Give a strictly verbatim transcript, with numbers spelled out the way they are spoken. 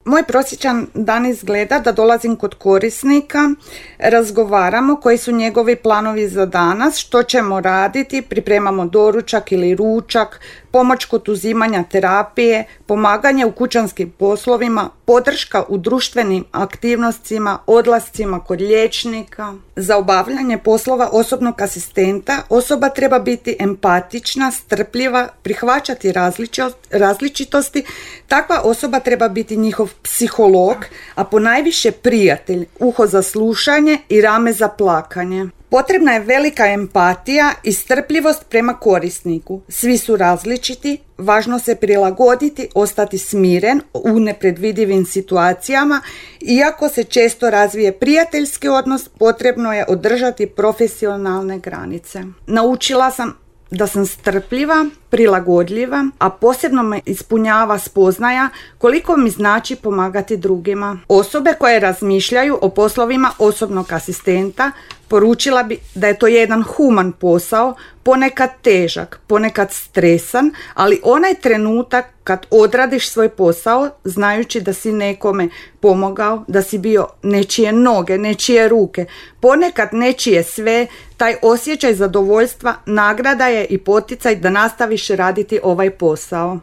Moj prosječan dan izgleda da dolazim kod korisnika, razgovaramo koji su njegovi planovi za danas, što ćemo raditi, pripremamo doručak ili ručak, pomoć kod uzimanja terapije, pomaganje u kućanskim poslovima, podrška u društvenim aktivnostima, odlascima kod liječnika. Za obavljanje poslova osobnog asistenta osoba treba biti empatična, strpljiva, prihvaćati različitosti. Takva osoba treba biti njihov psiholog, a ponajviše prijatelj, uho za slušanje i rame za plakanje. Potrebna je velika empatija i strpljivost prema korisniku. Svi su različiti, važno se prilagoditi, ostati smiren u nepredvidivim situacijama. Iako se često razvije prijateljski odnos, potrebno je održati profesionalne granice. Naučila sam da sam strpljiva, prilagodljiva, a posebno me ispunjava spoznaja koliko mi znači pomagati drugima. Osobe koje razmišljaju o poslovima osobnog asistenta poručila bi da je to jedan human posao, ponekad težak, ponekad stresan, ali onaj trenutak kad odradiš svoj posao, znajući da si nekome pomogao, da si bio nečije noge, nečije ruke, ponekad nečije sve, taj osjećaj zadovoljstva nagrada je i poticaj da nastaviš raditi ovaj posao.